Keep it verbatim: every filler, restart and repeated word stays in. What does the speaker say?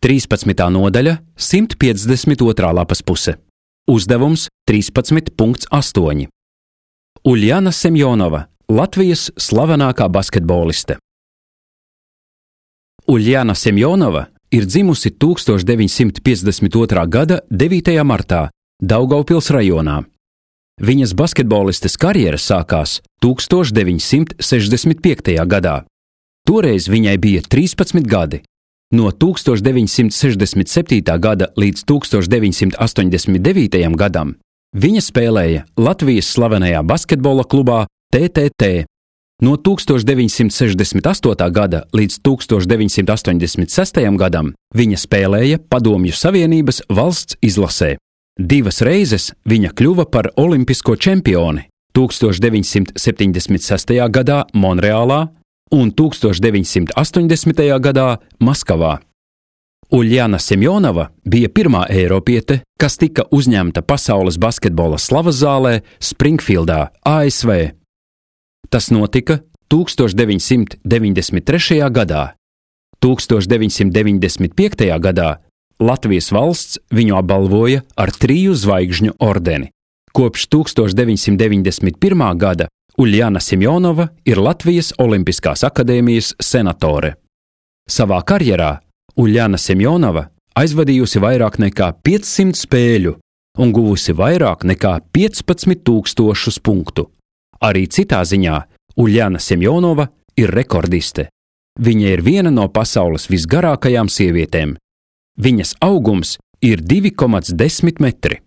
trīspadsmitā nodaļa, simt piecdesmit otrā lapas puse. Uzdevums trīspadsmit punkts astoņi. Uljana Semjonova, Latvijas slavenākā basketboliste. Uljana Semjonova ir dzimusi tūkstoš deviņsimt piecdesmit otrā gada devītajā martā Daugavpils rajonā. Viņas basketbolistes karjera sākās tūkstoš deviņsimt sešdesmit piektajā gadā. Toreiz viņai bija trīspadsmit gadi. No tūkstoš deviņsimt sešdesmit septītā gada līdz tūkstoš deviņsimt astoņdesmit devītajam gadam viņa spēlēja Latvijas slavenajā basketbola klubā T T T. No tūkstoš deviņsimt sešdesmit astotā gada līdz tūkstoš deviņsimt astoņdesmit sestajam gadam viņa spēlēja Padomju Savienības valsts izlasē. Divas reizes viņa kļuva par olimpisko čempioni tūkstoš deviņsimt septiņdesmit sestajā gadā Monreālā un tūkstoš deviņsimt astoņdesmitajā gadā Maskavā. Uljana Semjonova bija pirmā eiropiete, kas tika uzņemta pasaules basketbola slavas zālē Springfieldā, A S V. Tas notika tūkstoš deviņsimt deviņdesmit trešajā gadā. tūkstoš deviņsimt deviņdesmit piektajā gadā Latvijas valsts viņu apbalvoja ar triju zvaigžņu ordeni. Kopš tūkstoš deviņsimt deviņdesmit pirmā gada Uljana Semjonova ir Latvijas Olimpiskās akadēmijas senatore. Savā karjerā Uljana Semjonova aizvadījusi vairāk nekā piecsimt spēļu un guvusi vairāk nekā piecpadsmit tūkstošus punktu. Arī citā ziņā Uljana Semjonova ir rekordiste. Viņa ir viena no pasaules visgarākajām sievietēm. Viņas augums ir divi komats desmit metri.